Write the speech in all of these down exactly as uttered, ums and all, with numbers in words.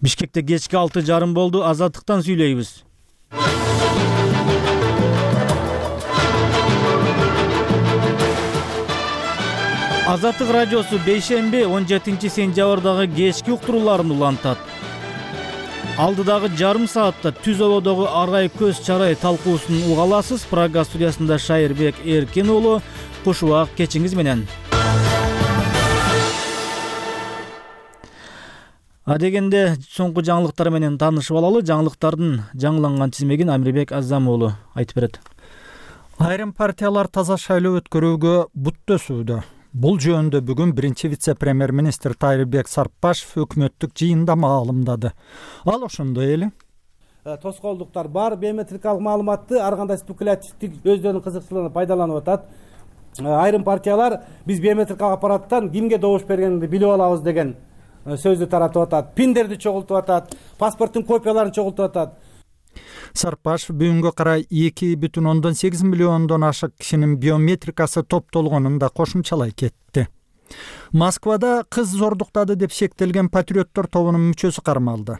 Бишкекте кечки алты жарым болду. Азаттыктан сүйлөйбүз. Азаттык радиосу бейшемби он жетинчи сентябрдагы кечки уктурууларын улантат. Алдыдагы жарым саатта түз ободогу аргай көз чарай талкуусун уга аласыз. Прага студиясында Шайырбек Эркин уулу. Куш убак кечиңиз менен. Адегенде соңку жаңылыктар менен таанышып алалы. Жаңылыктардын жаңыланган тизмегин Амирбек Азам уулу айтып берет. Айрым партиялар таза шайлоо өткөрүүгө бут төсүүдө. Бул жөнүндө бүгүн биринчи вице-премьер-министр Тайырбек Сарпбашев өкмөттүк жыйында маалымдады. Ал ошондой эле тоскоолдуктар бар, биометрикалык маалыматты ар кандай спекулятивдик өздөрүнүн кызыкчылыгына пайдаланып атат. Айрым партиялар биз биометрикалык аппараттан кимге добуш бергенди билип алабыз деген сөздү таратып атат. Пиндерди чогултуп атат, паспорттун копияларын чогултуп атат. Сарпбашев бүгүнгө карай эки бүтүн ондон сегиз миллиондон ашык кишинин биометрикасы топтолгонун да кошумчалай кетти. Москвада кыз зордуктады деп шектелген патриоттор тобунун мүчөсү кармалды.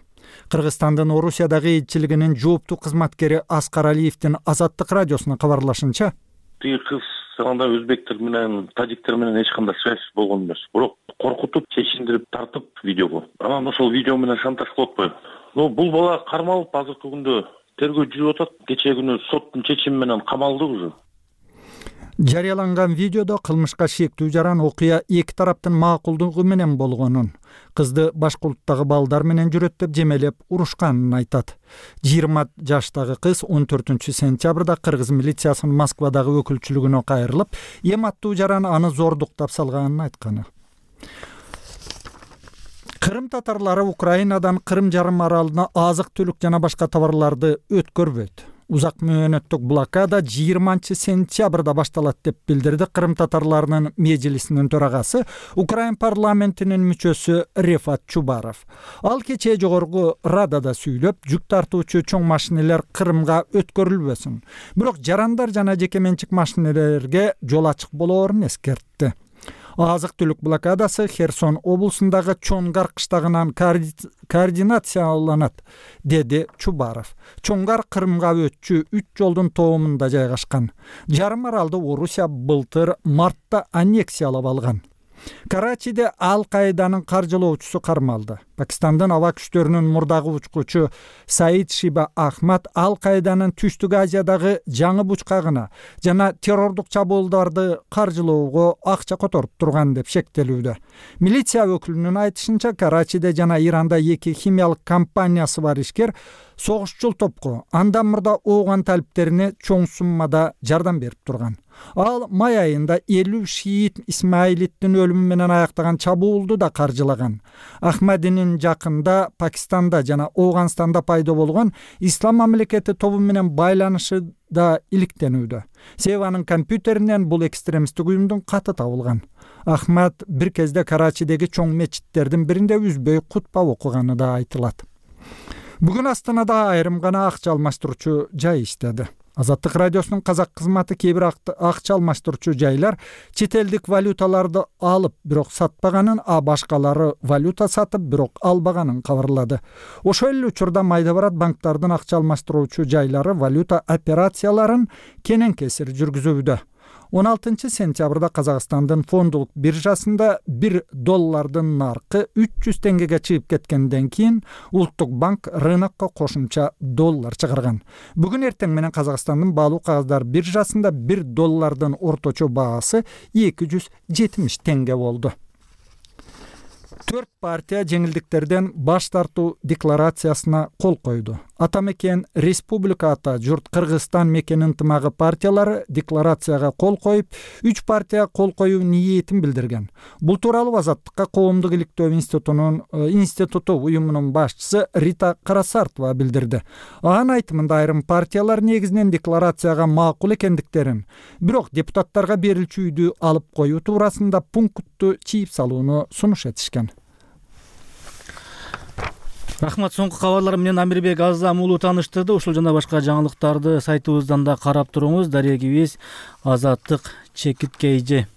Кыргызстандын Орусиядагы элчилигинин жооптуу кызматкери Аскар Алиевдин Азаттык радиосуна кабарлашынча, тиги кыз анда өзбектер менен, тажиктер менен эч кандай связь болгон эмес. Бирок коркутуп, чечиндирип тартып видеого. Анан ошол видео менен шантаж кылып атпайбы? Но бул бала кармалып азыркы күндө тергөө жүрүп атат. Кечээ күнү соттун чечими менен камалды уже. Жарыяланган видеодо кылмышка шектүү жаран окуя эки тараптын макулдугу менен болгонун, кызды башка улуттагы балдар менен жүрөт деп жемелеп урушканын айтат. жыйырма жаштагы кыз он төртүнчү сентябрда кыргыз милициясынын Москвадагы өкүлчүлүгүнө кайрылып, эм аттуу жаран аны зордуктап салганын айтканы. Кырым татарлары Украинадан Кырым жарым аралына азык-түлүк жана башка товарларды өткөрбөйт. Узак мөөнөттүк блокада жыйырманчы сентябрда башталат деп билдирди Кырым татарларынын межлисинин төрагасы, Украин парламентинин мүчөсү Рефат Чубаров. Ал кечээ жогорку радада сүйлөп, жүк тартуучу чоң машинелер Кырымга өткөрүлбөсүн. Бирок жарандар жана жеке менчик машинелерге жол ачык болоорун эскертти. Азык-түлүк блокадасы Херсон облусундагы Чонгар кыштагынан координацияланат, деди Чубаров. Чонгар Кырымга өтчү үч жолдун тоомунда жайгашкан. Жарым аралды Орусия былтыр мартта аннексиялап алган. Карачиде Ал-Каиданын каржылоочусу кармалды. Пакистандын аба күчтөрүнүн мурдагы учкучу Саид Шиба Ахмад Ал-Каиданын Түштүк Азиядагы жаңы бучкагына жана террордук чабуулдарды каржылоого акча которуп турган деп шектелүүдө. Милиция өкүлүнүн айтышынча, Карачиде жана Иранда эки химиялык компаниясы бар ишкер согушчул топко андан мурда ооган талиптерине чоң суммада жардам берип турган. Ал май айында элүү шиит Исмаилиттин өлүмү менен аяктаган чабуулду да каржылаган. Ахмадинин жакында Пакистанда жана Ооганстанда пайда болгон Ислам мамлекети тобу менен байланышы да иликтенүүдө. Себеби анын компьютеринен бул экстремисттик уюмдун каты табылган. Ахмад бир кезде Карачидеги чоң мечиттердин биринде үзбөй кутба окуганы да айтылат. Бүгүн Астанада айрым гана акча алмаштыруучу жай иштеди. Азаттык радиосунун казак кызматы кээ бир акча алмаштыруучу жайлар чет элдик валюталарды алып, бирок сатпаганын, а башкалары валюта сатып, бирок албаганын кабарлады. Ошол эле учурда майда барат банктардын акча алмаштыруучу жайлары валюта операцияларын кенен кесир жүргүзүүдө. он алтынчы сентябрда Казакстандын фондулук биржасында бир доллардын наркы үч жүз теңгеге чыгып кеткенден кийин Улуттук банк рынокко кошумча доллар чыгарган. Бүгүн эртең менен Казакстандын баалуу кагаздар биржасында бир доллардын орточо баасы эки жүз жетимиш теңге болду. Төрт партия жеңилдиктерден баш тартуу декларациясына кол койду. Ата мекен Республика ата журт Кыргызстан мекен ынтымагы партиялары декларацияга кол коюп, үч партия кол коюу ниетин билдирген. Бул тууралуу Азаттыкка коомдук иликтөө институтунун институту уюмунун башчысы Рита Карасартова билдирди. Анын айтымында айрым партиялар негизинен декларацияга макул экендиктерин, бирок депутаттарга берилчүydү алып коюу туурасында пунктту чийип салууну сунуш этишкен. Рахмат, соңку кабарлар менен Амирбек Азам уулу тааныштырды. Ушул жана башка жаңылыктарды сайтыбыздан да карап туруңуз. Дарегибиз Азаттык чекит кейжи.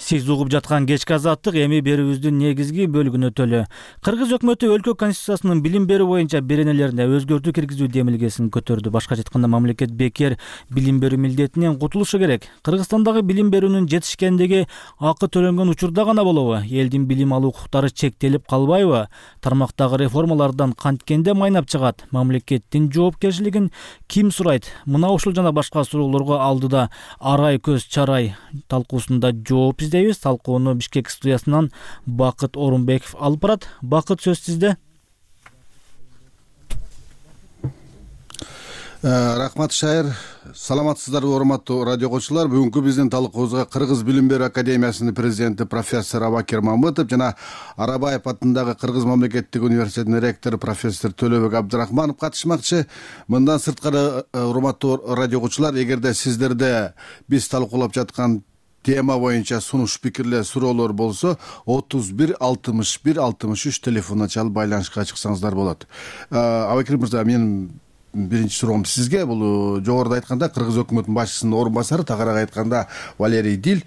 Сиз угуп жаткан кечки азаттык эми берүүбүздүн негизги бөлүгүнө өтөлү. Кыргыз өкмөтү өлкө конституциясынын билим берүү боюнча беренелерине өзгөртүү киргизүү демилгесин көтөрдү. Башкача айтканда, мамлекет бекер билим берүү милдетинен кутулушу керек. Кыргызстандагы билим берүүнүн жетишкендиги акы төлөнгөн учурда гана болобу? Элдин билим алуу укуктары чектелип калбайбы? Тармактагы реформалардан канткенде майнап чыгат? Мамлекеттин жоопкерчилигин ким сурайт? Мына ушул жана башка суроолорго алдыда арай көз чарай талкуусунда жооп издейбиз. Талкууну Бишкек студиясынан Бакыт Орунбеков алып барат. Бакыт, сөз сизде. Рахмат, Шайыр. Саламатсыздарбы, урматтуу радио коңчулар. Бүгүнкү биздин талкуубузга Кыргыз билим берүү академиясынын президенти профессор Абакер Мамытов жана Арабаев атындагы Кыргыз мамлекеттик университетинин ректору профессор Төлөбек Абдрахманов катышмакчы. Мындан сырткары, урматтуу радио коңчулар, эгерде сиздерде биз талкуулап жаткан тема боюнча сунуш пикирлер, суроолор болсо, отуз бир алтымыш бир алтымыш үч телефонуна чалып байланышка чыксаңыздар болот. Абакер мырза, менин биринчи суроом сизге. Бул жогоруда айтканда Кыргыз өкмөтүнүн башчысынын орун басары, тагыраак айтканда Валерий Дил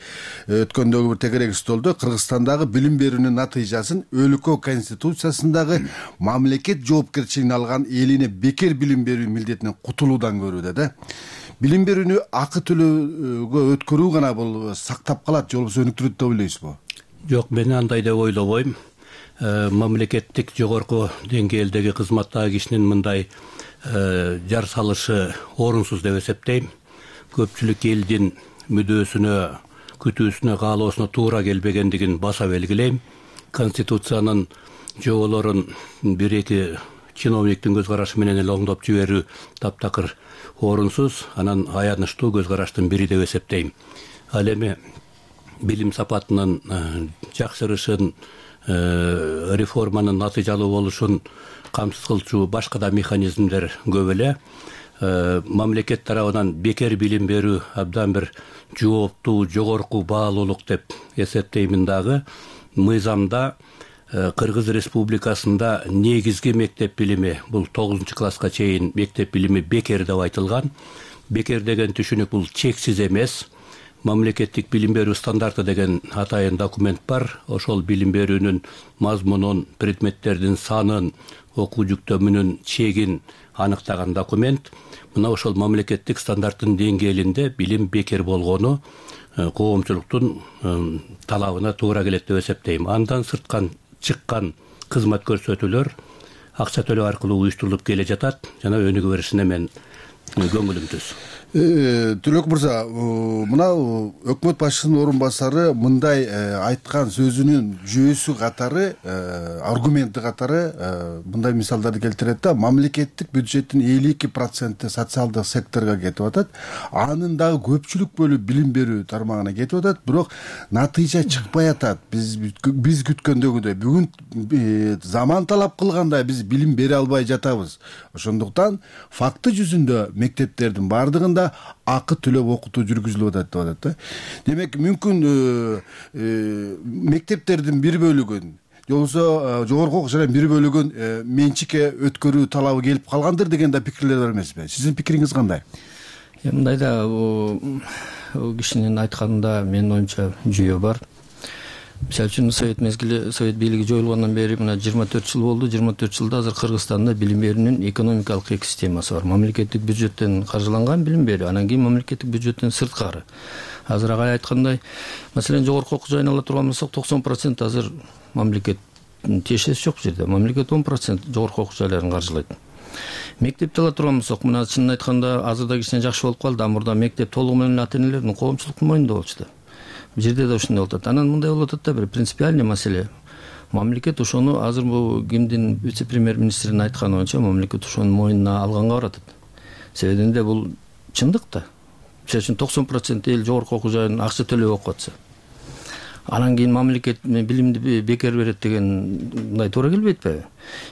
өткөндөгү бир тегерек столдо Кыргызстандагы билим берүүнүн натыйжасын өлкө конституциясындагы мамлекет жоопкерчилигин алган элине бекер билим берүү милдетинен кутулуудан көрүүдө да. Билим берүүнү акы төлөөгө өткөрүү гана бул сактап калат, же болбосо өнүктүрөт деп ойлойсузбу? Жок, мен андай деп ойлобойм. Мамлекеттик жогорку деңгээлдеги кызматтагы кишинин мындай жар салышы орунсуз деп эсептейм. Көпчүлүк элдин мүдөөсүнө, күтүүсүнө, каалоосуна туура келбегендигин баса белгилейм. Конституциянын жоболорун бир-эки чиновниктин көз карашы менен эле оңдоп жиберүү таптакыр орунсуз, анан аянычтуу көз караштын бири деп эсептейм. Ал эми билим сапатынын жакшырышын, реформанын натыйжалуу болушун камсыз кылчу башка да механизмдер көп эле. Мамлекет тарабынан бекер билим берүү абдан бир жооптуу, жогорку баалуулук деп эсептеймин дагы. Мыйзамда Кыргыз Республикасында негизги мектеп билими, бул тогузунчу класска чейин мектеп билими бекер деп айтылган. Бекер деген түшүнүк бул чексиз эмес. Мамлекеттик билим берүү стандарты деген атайын документ бар. Ошол билим берүүнүн мазмунун, предметтердин санын, окуу жүктөмүнүн чегин аныктаган документ. Мына ошол мамлекеттик стандарттын деңгээлинде билим бекер болгону коомчулуктун талабына туура келет деп эсептейм. Андан сырткан чыккан кызмат көрсөтүүлөр акча төлөө аркылуу уюштурулуп келе жатат жана өнүгө беришине мен көңүлүм түз. Төлөк мырза, мына өкмөт башчысынын орун басары мындай айткан сөзүнүн жүйөсү катары, аргументи катары мындай мисалдарды келтирет да. Мамлекеттик бюджеттин элүү эки проценти социалдык секторго кетип атат. Анын дагы көпчүлүк бөлүгү билим берүү тармагына кетип атат, бирок натыйжа чыкпай атат. Биз биз күткөндөгүдөй бүгүн заман талап кылгандай биз билим бере албай жатабыз. Ошондуктан факты жүзүндө мектептердин бардыгында акы төлөп окутуу жүргүзүлүп атат деп атат да. Демек, мүмкүн мектептердин бир бөлүгүн, же болбосо жогорку окуу жайдын бир бөлүгүн менчикке өткөрүү талабы келип калгандыр деген да пикирлер бар эмеспи? Сиздин пикириңиз кандай? Мындай да, кишинин айтканында менин оюмча жүйө бар. Мисалы үчүн совет мезгили, совет бийлиги жоюлгандан бери мына жыйырма төрт жыл болду. жыйырма төрт жылда азыр Кыргызстанда билим берүүнүн экономикалык эки системасы бар. Мамлекеттик бюджеттен каржыланган билим берүү, анан кийин мамлекеттик бюджеттен сырткары. Азыр агай айткандай, маселен, жогорку окуу жайын ала турган болсок, токсон процент азыр мамлекет тиешеси жок жерде. Мамлекет он процент жогорку окуу жайларын каржылайт. Мектепти ала турган болсок, мына чынын айтканда азырда кичине жакшы болуп калды. А мурда мектеп толугу менен ата энелердин, коомчулуктун мойнунда болчу да. Бул жерде да ушундай болуп атат. Анан мындай болуп атат да, бир принципиальный маселе. Мамлекет ошону азыр бул кимдин вице-премьер-министринин айтканы боюнча мамлекет ошонун мойнуна алганга баратат. Себебинде бул чындык да. Мисалы үчүн токсон процент эл жогорку окуу жайын акча төлөп окуп атса, анан кийин мамлекет билимди бекер берет деген мындай туура келбейт атпайбы?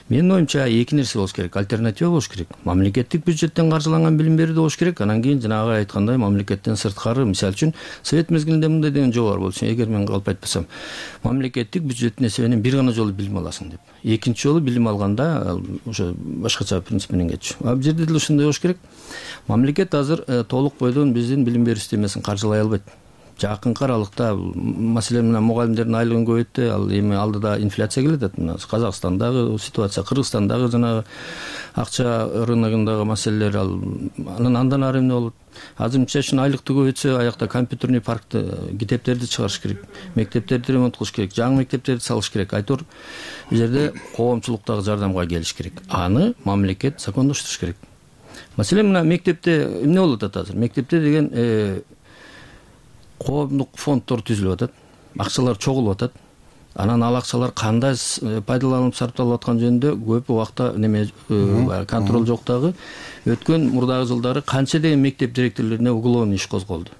Менин оюмча эки нерсе болуш керек, альтернатива болуш керек. Мамлекеттик бюджеттен каржыланган билим берүү болуш керек, анан кийин жанагы айткандай мамлекеттен сырткары, мисалы үчүн совет мезгилинде мындай деген жол бар болчу, эгер мен калп айтпасам, мамлекеттик бюджеттин эсебинен бир гана жолу билим аласың деп. Экинчи жолу билим алганда ошо башкача принцип менен кетчү. А бул жерде деле ушундай болуш керек. Мамлекет азыр толук бойдон биздин билим берүү системасын каржылай албайт. жакынкы аралыкта маселен мына мугалимдердин айлыгын көбөйтті, ал эми алдыда инфляция келатат. Мына Казакстандагы ситуация, Кыргызстандагы жанагы акча рыногундагы маселелер, ал анан андан ары эмне болот? Азыр мисалы үчүн айлыкты көбөйтсө, аякта компьютерный паркты, китептерди чыгарыш керек, мектептерди ремонт кылыш керек, жаңы мектептерди салыш керек. Айтор бул жерде коомчулуктагы жардамга келиш керек. Аны мамлекет закондоштуруш керек. Маселен мына мектепте эмне болуп атат азыр? Мектепте деген коомдук фонддор түзүлүп атат, акчалар чогулуп атат. Анан ал акчалар кандай пайдаланылып сарпталып аткан жөнүндө көп убакта неме контроль жок дагы. Өткөн мурдагы жылдары канча деген мектеп директорлоруна уголовный иш козголду.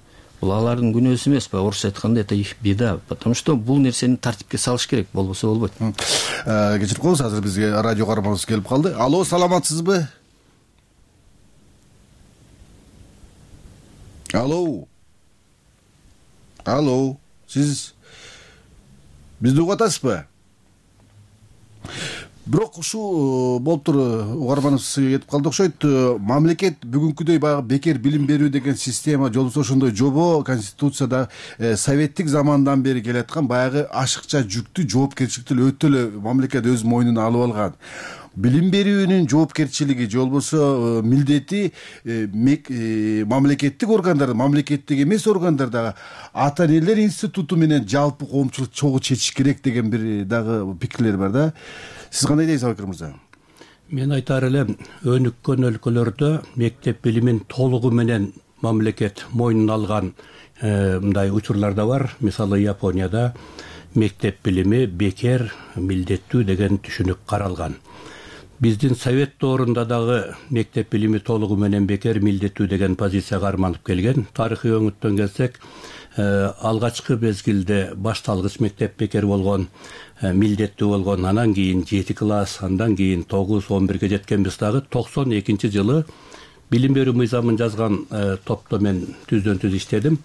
Бул алардын күнөөсү эмеспи? Орусча айтканда это их беда, потому что бул нерсени тартипке салыш керек, болбосо болбойт. Кечирип коебуз, азыр бизге радио каарманыбыз келип калды. Алло, саламатсызбы? Алло. Алло, сиз бизди угуп атасызбы? Бирок ушул болуптур, угарманыбыз кетип калды окшойт. Мамлекет бүгүнкүдөй баягы бекер билим берүү деген система, жолбосо ошондой жобо Конституцияда советтик замандан бери келаткан баягы ашыкча жүктү, жоопкерчиликти өтө эле мамлекет өз мойнуна алып алган. Билим берүүнүн жоопкерчилиги, жолбосо милдети мамлекеттик органдар, мамлекеттик эмес органдардагы ата энелер институту менен жалпы коомчулук чогуу чечиш керек деген бир дагы пикирлер бар да. Сиз кандай дейсиз, Абакир мырза? Мен айтар элем, өнүккөн өлкөлөрдө мектеп билимин толугу менен мамлекет мойнуна алган мындай учурлар да бар. Мисалы Японияда мектеп билими бекер, милдеттүү деген түшүнүк каралган. Биздин совет доорунда дагы мектеп билими толугу менен бекер, милдеттүү деген позиция карманып келген. Тарыхый өңүттөн келсек, алгачкы мезгилде башталгыч мектеп бекер болгон, милдеттүү болгон, анан кийин жети класс, андан кийин тогуз, он бирге жеткенбиз дагы. токсон экинчи жылы билим берүү мыйзамын жазган топто мен түздөн түз иштедим.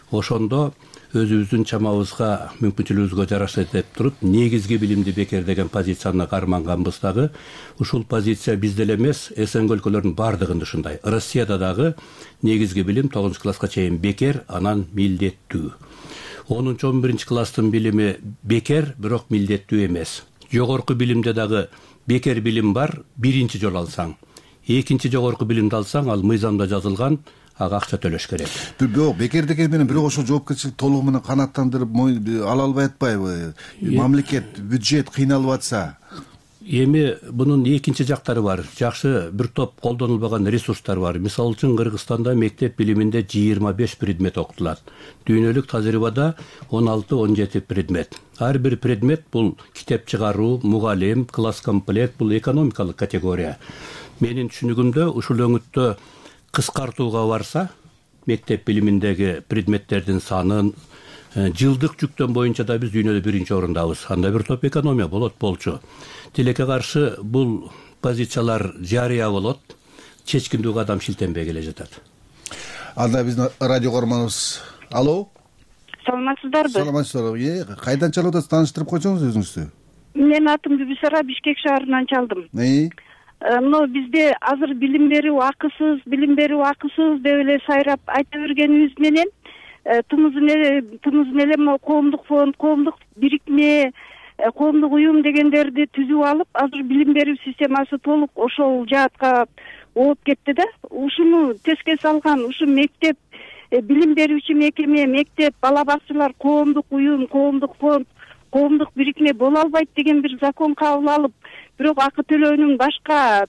Ошондо өзүбүздүн чамабызга, мүмкүнчүлүгүбүзгө жараша деп туруп, негизги билимди бекер деген позицияны карманганбыз дагы. Ушул позиция бизде эле эмес, СНГ өлкөлөрүнүн бардыгында ушундай. Россияда дагы негизги билим тогузунчу класска чейин бекер, анан милдеттүү. онунчу он биринчи класстын билими бекер, бирок милдеттүү эмес. Жогорку билимде дагы бекер билим бар, биринчи жолу алсаң. Экинчи жогорку билимди алсаң, ал мыйзамда жазылган, ага акча төлөш керек. Бирок бекер деген менен бирок ошол жоопкерчилик толугу менен канааттандырып ала албай атпайбы? Мамлекет, бюджет кыйналып атса. Эми бунун экинчи жактары бар. Жакшы бир топ колдонулбаган ресурстар бар. Мисалы үчүн Кыргызстанда мектеп билиминде жыйырма беш предмет окутулат. Дүйнөлүк тажрыйбада он алты он жети предмет. Ар бир предмет бул китеп чыгаруу, мугалим, класс комплект, бул экономикалык категория. Менин түшүнүгүмдө ушул өңүттө кыскартууга барса, мектеп билиминдеги предметтердин санын жылдык жүктөн боюнча да биз дүйнөдө биринчи орундабыз. Анда бир топ экономия болот болчу. Тилекке каршы бул позициялар жарыя болот, чечкиндүү кадам шилтенбей келе жатат. Анда биздин радио каарманыбыз. Алло. Саламатсыздарбы? Саламатсыздарбы. Кайдан чалып атасыз? Тааныштырып койсоңуз өзүңүздү. Менин атым Бүбүсара, Бишкек шаарынан чалдым. Мына бизде азыр билим берүү акысыз, билим берүү акысыз деп эле сайрап айта бергенибиз менен тымызын эле тымызын эле могу коомдук фонд, коомдук бирикме, коомдук уюм дегендерди түзүп алып, азыр билим берүү системасы толук ошол жаатка ооп кетти да. Ушуну теске салган, ушу мектеп, билим берүүчү мекеме, мектеп, бала бакчалар, коомдук уюм, коомдук фонд, коомдук бирикме боло албайт деген бир закон кабыл алып, бирок акы төлөөнүн башка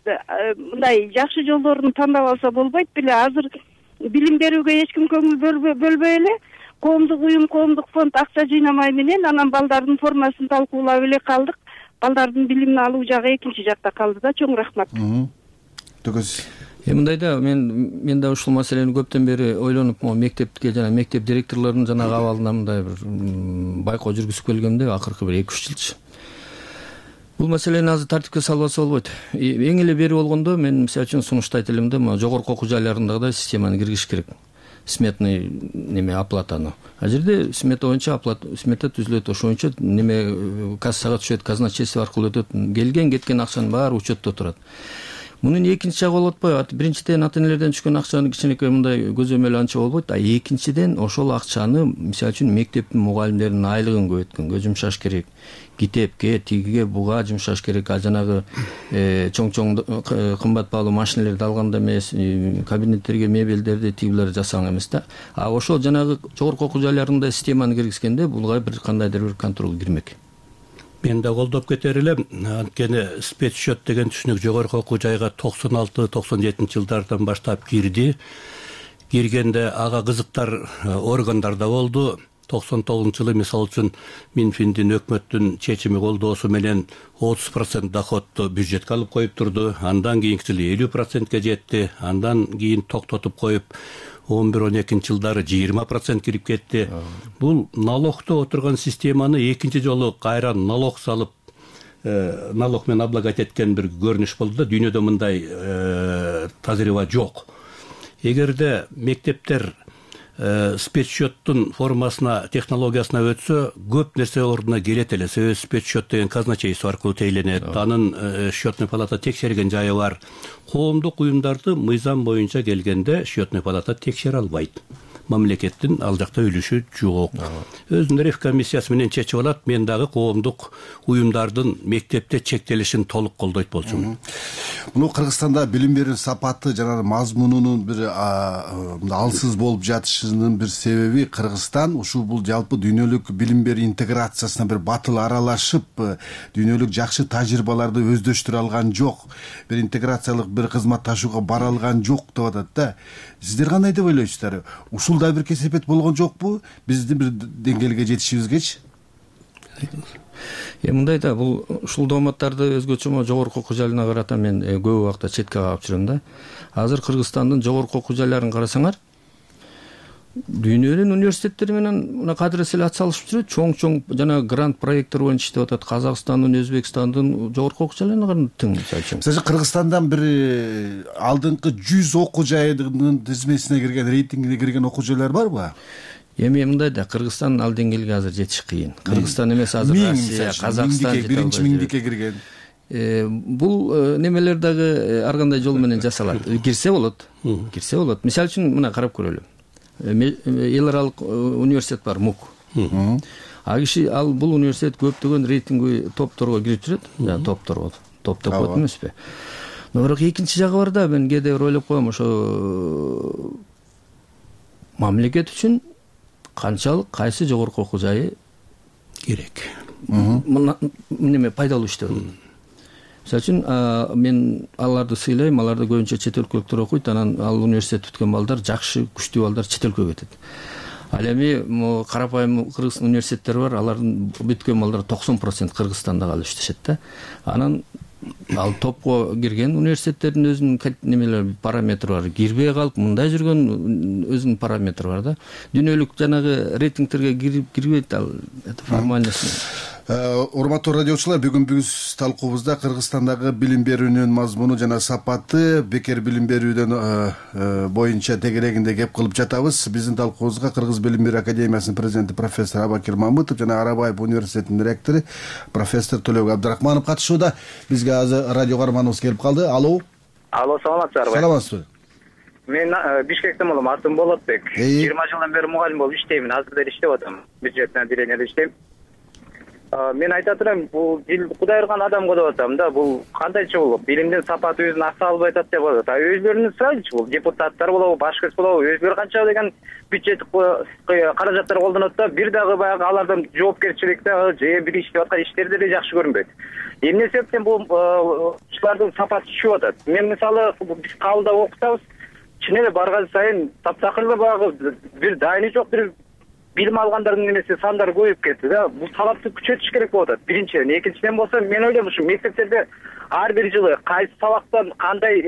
мындай жакшы жолдорун тандап алса болбойт беле. Азыр билим берүүгө эч ким көңүл бөлбөй эле коомдук уюм, коомдук фонд акча жыйнамай менен анан балдардын формасын талкуулап эле калдык. Балдардын билимин алуу жагы экинчи жакта калды да. Чоң рахмат. Төгөз. Э мындай да, мен мен да ушул маселени көптөн бери ойлонуп, могу мектепке жана мектеп директорлорунун жанагы абалына мындай бир байкоо жүргүзүп келгемде акыркы бир эки үч жылчы. Бул маселени азыр тартипке салбаса болбойт. Эң эле бери болгондо мен мисалы үчүн сунуштайт элем да, жогорку окуу жайларындагы системаны киргизиш керек. Сметный неме оплатаны. А жерде смета боюнча оплата, смета түзүлөт, ошо боюнча неме кассага түшөт, казначейство аркылуу өтөт. Келген кеткен акчанын баары учетто турат. Мунун экинчи жагы болуп атпайбы? Биринчиден ата энелерден түшкөн акчаны кичинекей мындай көзөмөл анча болбойт. А экинчиден ошол акчаны мисалы үчүн мектептин мугалимдеринин айлыгын көбөйткөнгө жумшаш керек. Китепке, тигиге, буга жумшаш керек. А жанагы чоң-чоң кымбат баалуу машиналерди алганда эмес, кабинеттерге мебелдерди тигилер жасаң эмес да. А ошол жанагы жогорку окуу жайларында системаны киргизгенде булга бир кандайдыр бир контроль кирмек. Мен да колдоп кетер элем. Анткени спецсчет деген түшүнүк жогорку окуу жайга токсон алты токсон жетинчи жылдардан баштап кирди. Киргенде ага кызыктар органдарда болду. токсон тогузунчу жылы мисалы үчүн Минфиндин өкмөттүн чечими колдоосу менен отуз процент доходду бюджетке алып коюп турду. Андан кийинки жылы элүү процентке жетти. Андан кийин токтотуп коюп он бир он экинчи жылдары жыйырма процент кирип кетти. Бул налогто отурган системаны экинчи жолу кайра налог салып, налог менен облагать эткен бир көрүнүш болду да. Дүйнөдө мындай тажрыйба жок. Эгерде мектептер спецсчеттун формасына, технологиясына өтсө, көп нерсе ордуна келет эле. Себеби спецсчет деген казначейство аркылуу тейлөнет. Анын счетный палата текшерген жайы бар. Коомдук уюмдарды мыйзам боюнча келгенде счетный палата текшере албайт. Мамлекеттин ал жакта үлүшү жок. Өзүнүн ревкомиссиясы менен чечип алат. Мен дагы коомдук уюмдардын мектепте чектелишин толук колдойт болчумун. Муну Кыргызстанда билим берүүнүн сапаты жана мазмунунун бир алсыз болуп жатышынын бир себеби Кыргызстан ушул бул жалпы дүйнөлүк билим берүү интеграциясына бир батыл аралашып, дүйнөлүк жакшы тажрыйбаларды өздөштүрө алган жок. Бир интеграциялык бир кызматташууга бара алган жок деп атат да. Сиздер кандай деп ойлойсуздар? Ушул да бир кесепет болгон жокпу биздин бир деңгээлге жетишибизгечи? Э мындай да, бул ушул дооматтарды өзгөчө жогорку окуу жайларына карата мен көп убакта четке кагып жүрөм да. Азыр Кыргызстандын жогорку окуу жайларын карасаңар, дүйнөнүн университеттери менен мына кадырес эле ат салышып жүрөт. Чоң-чоң жана грант проекттер боюнча иштеп атат. Казакстандын, Өзбекстандын жогорку окуу жайларына тең мисалы үчүн. Мисалы Кыргызстандан бир алдыңкы жүз окуу жайынын тизмесине кирген, рейтингине кирген окуу жайлар барбы? Эми мындай да, Кыргызстан ал деңгээлге азыр жетиш кыйын. Кыргызстан эмес азыр Россия, Казакстан биринчи миңдикке кирген. Бул немелер дагы ар кандай жол менен жасалат. Кирсе болот. Кирсе болот. Мисалы үчүн мына карап көрөлү. Эл аралык университет бар, МУК. А киши ал бул университет көптөгөн рейтинговый топторго кирип жүрөт. Жана топтор, топ деп коет эмеспи? Но бирок экинчи жагы бар да, мен кээде бир ойлоп коем, ошо мамлекет үчүн канчалык кайсы жогорку окуу жайы керек. Мына неме пайдалуу иштеп. Мисалы үчүн мен аларды сыйлайм, аларды көбүнчө чет өлкөлүктөр окуйт, анан ал университет бүткөн балдар, жакшы, күчтүү балдар чет өлкөгө кетет. Ал эми могу карапайым кыргыз университеттери бар, алардын бүткөн балдар токсон процент Кыргызстанда калып иштешет да. Анан ал топко кирген университеттердин өзүнүн немелери, параметри бар. Кирбей калып мындай жүргөн өзүнүн параметри бар да. Дүйнөлүк жанагы рейтингтерге кирип кирбейт, ал это формальность. Урматтуу радиочулар, бүгүн биз талкуубузда Кыргызстандагы билим берүүнүн мазмуну жана сапаты, бекер билим берүүдөн боюнча тегерегинде кеп кылып жатабыз. Биздин талкуубузга Кыргыз билим берүү академиясынын президенти профессор Абакир Мамытов жана Арабаев университетинин ректору профессор Төлөбек Абдрахманов катышууда. Бизге азыр радио каарманыбыз келип калды. Алло. Алло, саламатсыздарбы? Саламатсызбы? Мен Бишкектен болом, атым Болотбек. жыйырма жылдан бери мугалим болуп иштеймин. Азыр деле иштеп атам. Бюджетный отделениеде иштейм. Мен айта турам, бул Кудай ырган адамга деп атам да, бул кандайча болуп, билимдин сапаты өзүн аса албай атат деп атат. А өзлөрүнүн сурайлычы, бул депутаттар болобу, башка эч болобу, өзлөрү канча деген бюджет каражаттар колдонот да, бир дагы баягы алардан жоопкерчилик дагы же бир иштеп аткан иштери деле жакшы көрүнбөйт. Эмне себептен бул ушулардын сапаты түшүп атат? Мен мисалы биз кабылда окутабыз, чын эле барган сайын таптакыр баягы бир дайыны жок, бир билим алгандардын немеси сандары көбөйүп кетти да. Бул талапты күчөтүш керек болуп атат. Биринчиден, экинчиден болсо мен ойлойм, ушу мектептерде ар бир жылы кайсы сабактан кандай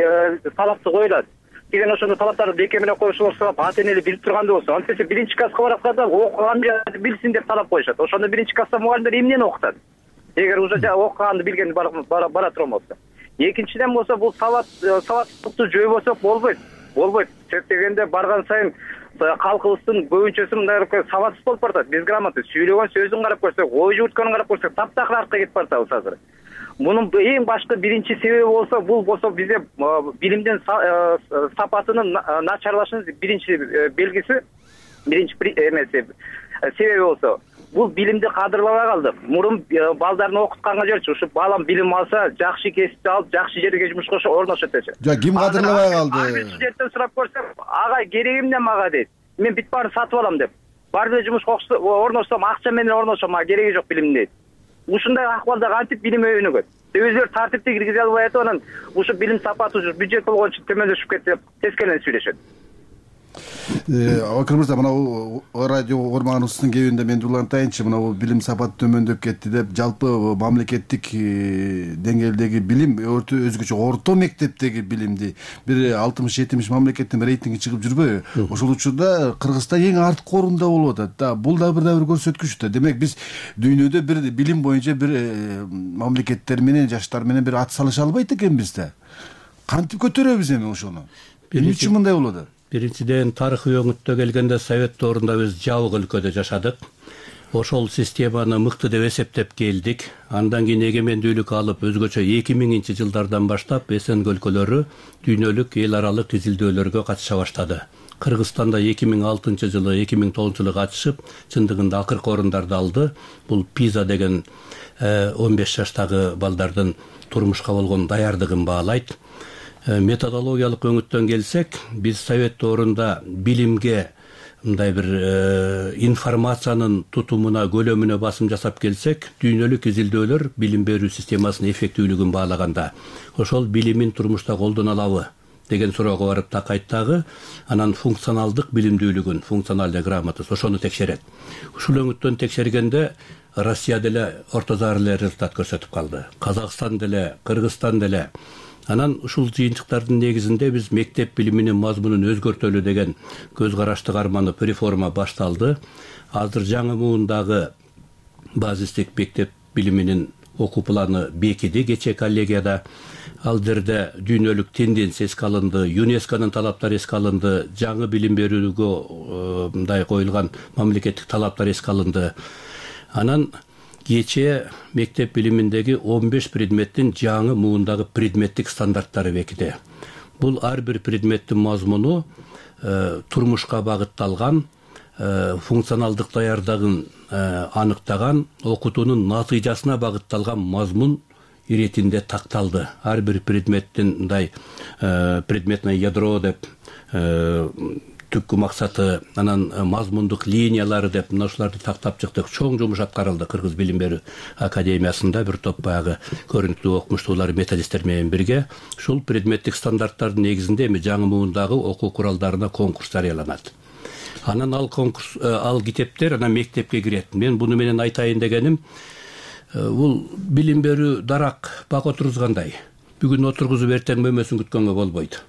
талапты коюлат деген ошондой талаптарды бекер менен коюшулар сурап, ата энелер билип тургандай болсо, антсе биринчи класска баратканда окуган билсин деп талап коюшат. Ошондо биринчи класста мугалимдер эмнени окутат? Эгер уже окуганды билгенди бара турган болсо. Экинчиден болсо, бул сабат сабаттыкты жойбосок болбойт. Болбойт. Себеп дегенде барган сайын калкыбыздын көбүнчөсү мындай сабатсыз болуп баратат. Безграмотный, сүйлөгөн сөзүн карап көрсөк, ой жүгүрткөнүн карап көрсөк, таптакыр артка кетип баратабыз азыр. мунун эң башкы биринчи себеби болсо, бул болсо бизде билимдин сапатынын начарлашынын биринчи белгиси, биринчи эмеси себеби болсо, бул билимди кадырлабай калдык. Мурун балдарды окутканга жиберчү, ушу балам билим алса, жакшы кесипти алып, жакшы жерге жумушка орношот дечи. Жок, ким кадырлабай калды? Ар студенттен сурап көрсөм, ага кереги эмне мага дейт. Мен бүт баарын сатып алам деп. Бар эле жумушка орношсом, акча менен орношом, мага кереги жок билим дейт. Ушундай акыбалда кантип билим өнүгөт? Өзүлөр тартипти киргизе албай атып, анан ушу билим сапаты ушу бюджет болгон үчүн төмөндөшүп кетти деп тескелен сүйлөшөт. Абакир мырза, мына радио угарманыбыздын кебинде мен улантайынчы, мына билим сапаты төмөндөп кетти деп, жалпы мамлекеттик деңгээлдеги билим, өзгөчө орто мектептеги билимди бир алтымыш жетимиш мамлекеттин рейтинги чыгып жүрбөйбү? Ошол учурда Кыргызстан эң арткы орунда болуп атат да. Бул да бир да бир көрсөткүч да. Демек биз дүйнөдө бир билим боюнча бир мамлекеттер менен, жаштар менен бир ат салыша албайт экенбиз да. Кантип көтөрөбүз эми ошону? Эмне үчүн мындай болуп атат? Биринчиден, тарыхый өңүттө келгенде Совет доорунда биз жабык өлкөдө жашадык. Ошол системаны мыкты деп эсептеп келдик. Андан кийин эгемендүүлүк алып, өзгөчө эки миңинчи жылдардан баштап СНГ өлкөлөрү дүйнөлүк эл аралык изилдөөлөргө катыша баштады. Кыргызстанда эки миң алтынчы жылы, эки миң тогузунчу жылы катышып, чындыгында акыркы орундарды алды. Бул пиза деген он беш жаштагы балдардын турмушка болгон даярдыгын баалайт. Методологиялык өңүттөн келсек, биз Совет доорунда билимге мындай бир информациянын тутумуна, көлөмүнө басым жасап келсек, дүйнөлүк изилдөөлөр билим берүү системасынын эффективдүүлүгүн баалаганда, ошол билимин турмушта колдоно алабы деген суроого барып такайт дагы, анан функционалдык билимдүүлүгүн, функциональная грамотность, ошону текшерет. Ушул өңүттөн текшергенде Россия деле орто зар эле результат көрсөтүп калды. Казакстан деле, Кыргызстан деле. Анан ушул жыйынтыктардын негизинде биз мектеп билиминин мазмунун өзгөртөлү деген көз карашты карманып реформа башталды. Азыр жаңы муундагы базистик мектеп билиминин окуу планы бекиди кечээ коллегияда. Ал жерде дүйнөлүк тенденция эске алынды, ЮНЕСКОнун талаптары эске алынды, жаңы билим берүүгө мындай коюлган мамлекеттик талаптар эске алынды. Анан кечээ мектеп билиминдеги он беш предметтин жаңы муундагы предметтик стандарттары бекиди. Бул ар бир предметтин мазмуну турмушка багытталган, функционалдык даярдыгын аныктаган, окутуунун натыйжасына багытталган мазмун иретинде такталды. Ар бир предметтин мындай предметное ядро деп, түпкү максаты, анан мазмундук линиялары деп мына ушуларды тактап чыктык. Чоң жумуш аткарылды Кыргыз билим берүү академиясында. Бир топ баягы көрүнүктүү окумуштуулар, методисттер менен бирге ушул предметтик стандарттардын негизинде эми жаңы муундагы окуу куралдарына конкурс жарыяланат. Анан ал конкурс, ал китептер анан мектепке кирет. Мен буну менен айтайын дегеним, бул билим берүү дарак бак отургузгандай. Бүгүн отургузуп эртең мөмөсүн күткөнгө болбойт.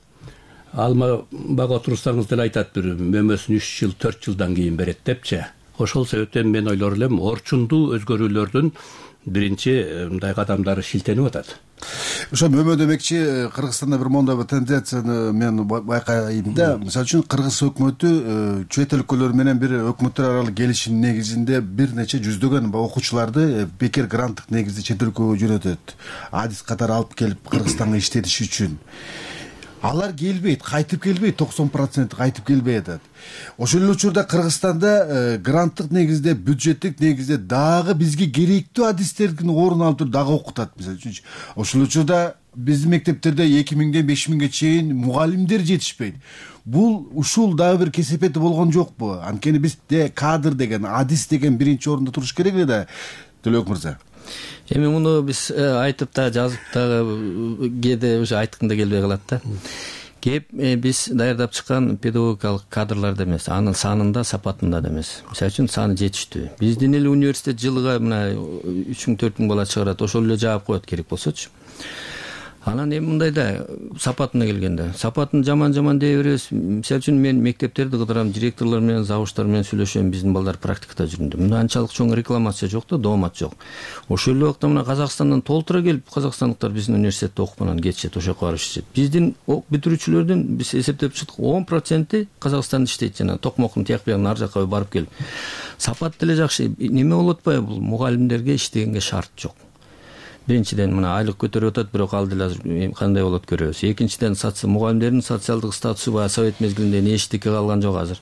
Алма бак отурсаңыз деле айтат, бир мөмөсүн үч жыл, төрт жылдан кийин берет депчи. Ошол себептен мен ойлор элем, орчундуу өзгөрүүлөрдүн биринчи мындай кадамдары шилтенип атат. Ошо мөмө демекчи, Кыргызстанда бир мондой бир тенденцияны мен байкайм да. Мисалы үчүн Кыргыз өкмөтү чет өлкөлөр менен бир өкмөттөр аралык келишим негизинде бир нече жүздөгөн окуучуларды бекер гранттык негизде чет өлкөгө жөнөтөт. Адис катары алып келип Кыргызстанга иштетиш үчүн. Алар келбейт, кайтып келбейт, токсон процент кайтып келбей атат. Ошол эле учурда Кыргызстанда гранттык негизде, бюджеттик негизде дагы бизге керектүү адистердин орун алып туруп дагы окутат. Мисалы үчүн, ошол учурда биздин мектептерде эки миңден беш миңге чейин мугалимдер жетишпейт. Бул ушул дагы бир кесепети болгон жокпу? Анткени бизде кадр деген, адис деген биринчи орунда туруш керек эле да, Төлөбек мырза. Эми муну биз айтып да, жазып дагы кээде уже айтканда келбей калат да. Кеп биз даярдап чыккан педагогикалык кадрларда эмес, анын санында, сапатында да эмес. Мисалы үчүн саны жетиштүү. Биздин эле университет жылга мына үч миң төрт миң бала чыгарат, ошол эле жаап коет керек болсочу. Анан эми мындай да сапатына келгенде, сапатын жаман-жаман дей беребиз. Мисалы үчүн мен мектептерди кыдырам, директорлор менен, завуштар менен сүйлөшөм, биздин балдар практикада жүрүндө. Мында анчалык чоң рекламация жок да, доомат жок. Ошол эле убакта мына Казакстандан толтура келип, казакстандыктар биздин университетте окуп анан кетишет, ошол жака барып иштешет. Биздин бүтүрүүчүлөрдүн биз эсептеп чыктык, он проценти Казакстанда иштейт, жана токмоктун тияк биягына ар жака барып келип. Сапат деле жакшы. Неме болуп атпайбы? Бул мугалимдерге иштегенге шарт жок. биринчиден мына айлык көтөрүп атат, бирок ал деле азыр кандай болот көрөбүз. Экинчиден мугалимдердин социалдык статусу баягы совет мезгилинде эчтеке калган жок азыр.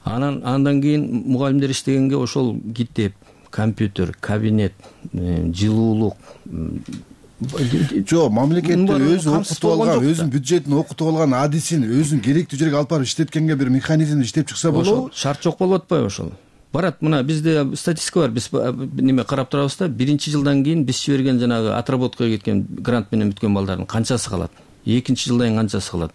Анан андан кийин мугалимдер иштегенге ошол китеп, компьютер, кабинет, жылуулук. Жок, мамлекетте өзү окутуп алган, өзүнүн бюджетин окутуп алган, адисин өзүнүн керектүү жерге алып барып иштеткенге бир механизм иштеп чыкса болобу? Шарт жок болуп атпайбы ошол? Барат, мына бизде статистика бар, биз неме карап турабыз да, биринчи жылдан кийин биз жиберген жанагы отработкага кеткен грант менен бүткөн балдардын канчасы калат? Экинчи жылдан кийин канчасы калат?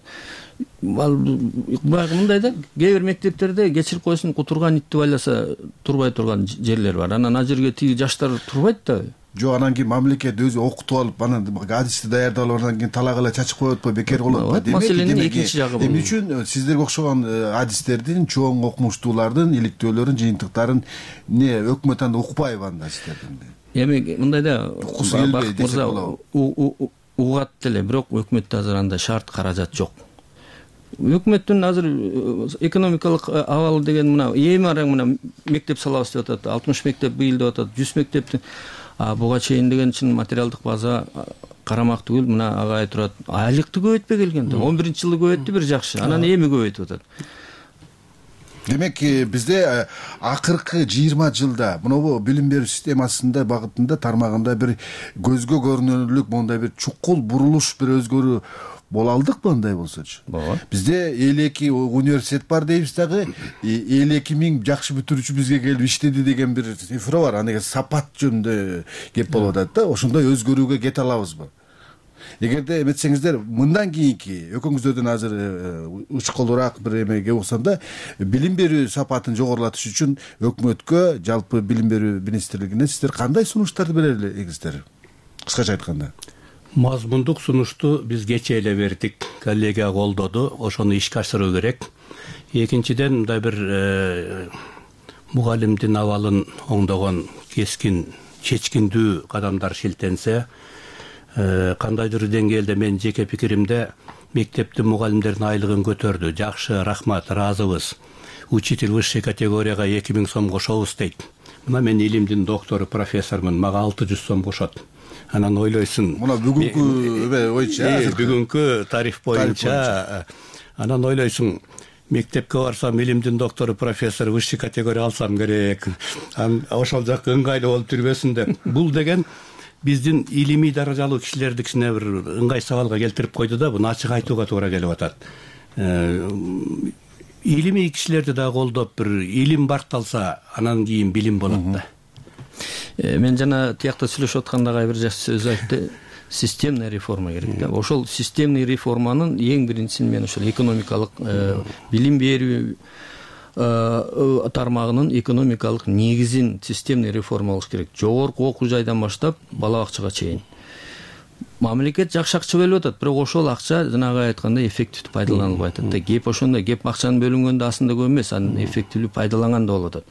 Баягы мындай да, кээ бир мектептерде кечирип койсун, кутурган итти байласа турбай турган жерлер бар. Анан ал жерге тиги жаштар турбайт да. Жок, анан кийин мамлекет өзү окутуп алып, анан адисти даярдап алып, анан кийин талак эле чачып коет атпайбы, бекер болот атпайбы? Маселенин экинчи жагы бул. Эмне үчүн сиздерге окшогон адистердин, чоң окумуштуулардын иликтөөлөрүн, жыйынтыктарын не өкмөт анда укпайбы анда сиздердин? Эми мындай да, Бакыт мырза угат деле, бирок өкмөттө азыр андай шарт, каражат жок. Өкмөттүн азыр экономикалык абалы деген мына эми араң мына мектеп салабыз деп атат, алтымыш мектеп быйыл деп атат, жүз мектептин. А буга чейин деген чын материалдык база карамак түгүл, мына агай турат. Айлыкты көбөйтпөй келген да. он биринчи жылы көбөйттү бир жакшы. Анан эми көбөйтүп атат. Демек, бизде акыркы жыйырма жылда мынабу билим берүү системасында багытында тармагында бир көзгө көрүнөрлүк мондай бир чукул бурулуш, бир өзгөрүү боло алдыкпы андай болсочу? Бизде элүү эки университет бар дейбиз дагы, элүү эки миң жакшы бүтүрүүчү бизге келип иштеди деген бир цифра бар. Аны сапат жөнүндө кеп болуп атат да. Ошондой өзгөрүүгө кете алабызбы? Эгерде эметсеңиздер, мындан кийинки өкүңүздөрдөн азыр учкулураак бир эмеге уксанда, билим берүү сапатын жогорулатыш үчүн өкмөткө, жалпы билим берүү министрлигине сиздер кандай сунуштарды берер элеңиздер? Кыскача айтканда. Мазмундук сунушту биз кечээ эле бердик, коллегия колдоду, ошону ишке ашыруу керек. Экинчиден, мындай бир мугалимдин абалын оңдогон кескин, чечкиндүү кадамдар шилтенсе, кандайдыр деңгээлде мен жеке пикиримде мектептин мугалимдердин айлыгын көтөрдү. Жакшы, рахмат, ыраазыбыз. Учитель высшей категорияга эки миң сом кошобуз дейт. Мына мен илимдин доктору, профессормун, мага алты жүз сом кошот. Анан ойлойсуң, мына бүгүнкү боюнча, бүгүнкү тариф боюнча, анан ойлойсуң, мектепке барсам, илимдин доктору, профессор, высший категория алсам керек. Ошол жак ыңгайлуу болуп жүрбөсүн деп. Бул деген биздин илимий даражалуу кишилерди кичине бир ыңгай сабалга келтирип койду да, буну ачык айтууга туура келип атат. Илимий кишилерди да колдоп, бир илим барталса, анан кийин билим болот да. Мен жана тиякта сүйлөшүп атканда бир жакшы сөз айтты. Системный реформа керек да. Ошол системный реформанын эң биринчисин мен ошол экономикалык билим берүү тармагынын экономикалык негизин системный реформа кылыш керек. Жогорку окуу жайдан баштап бала бакчага чейин. Мамлекет жакшы акча бөлүп атат, бирок ошол акча жанагы айткандай эффективдүү пайдаланылбай атат да. Кеп ошондой, кеп акчанын бөлүнгөндө аслында көп эмес, анын эффективдүү пайдаланганда болуп атат.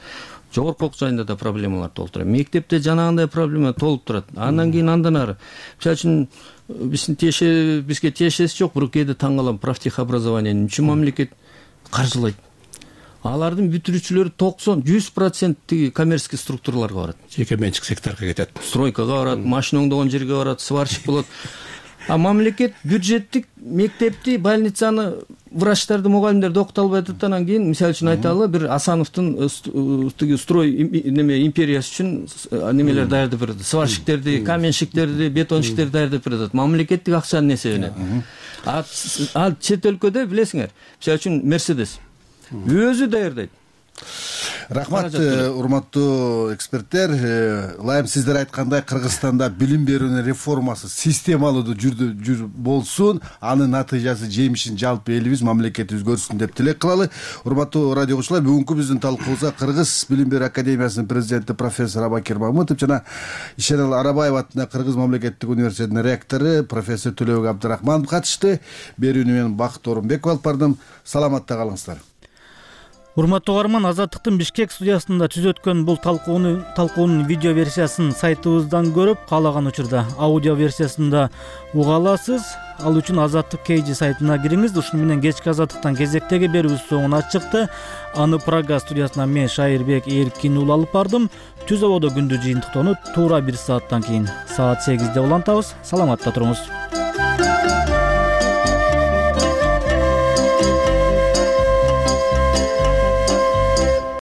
Жогорку окуу жайында да проблемалар толуп турат. Мектепте жанагындай проблема толуп турат. Андан кийин андан ары. Мисалы үчүн биздин тиешеси, бизге тиешеси жок, бирок кээде таң калам, профтехобразованиени үчүн мамлекет каржылайт. Алардын бүтүрүүчүлөрү токсон жүз процент тиги коммерческий структураларга барат. Жеке менчик секторго кетет. Стройкага барат, машина оңдогон жерге барат, сварщик болот. А мамлекет бюджеттик мектепти, больницаны, врачтарды, мугалимдерди окута албай атат. Анан кийин мисалы үчүн айталы, бир Асановдун тиги строй неме империясы үчүн немелер даярдап берет. Сварщиктерди, каменщиктерди, бетонщиктерди даярдап берет. Мамлекеттик акчанын эсебинен. А чет өлкөдө билесиңер, мисалы үчүн Мерседес өзү даярдайт. Рахмат, урматтуу эксперттер. Ылайым сиздер айткандай, Кыргызстанда билим берүүнүн реформасы системалуу жүрүп болсун, анын натыйжасы, жемишин жалпы элибиз, мамлекетибиз көрсүн деп тилек кылалы. Урматтуу радио угуучулар, бүгүнкү биздин талкуубузга Кыргыз билим берүү академиясынын президенти профессор Абакир Мамытов жана Ишенал Арабаева атындагы Кыргыз мамлекеттик университетинин ректору профессор Төлөбек Абдрахманов катышты. Берүүнү мен Бакыт Орунбеков алып бардым. Саламатта калыңыздар. Урматтуу угарман, Азаттыктын Бишкек студиясында түз өткөн бул талкууну талкуунун видео версиясын сайтыбыздан көрүп, каалаган учурда аудио версиясында уга аласыз. Ал үчүн Азаттык кей жи сайтына кириңиз. Ушуну менен кечки Азаттыктан кезектеги берүүбүз соңуна чыкты. Аны Прага студиясынан мен Шайырбек Эркин уулу алып бардым. Түз абоодо күндү жыйынтыктоону туура бир сааттан кийин саат сегизде улантабыз. Саламатта туруңуз.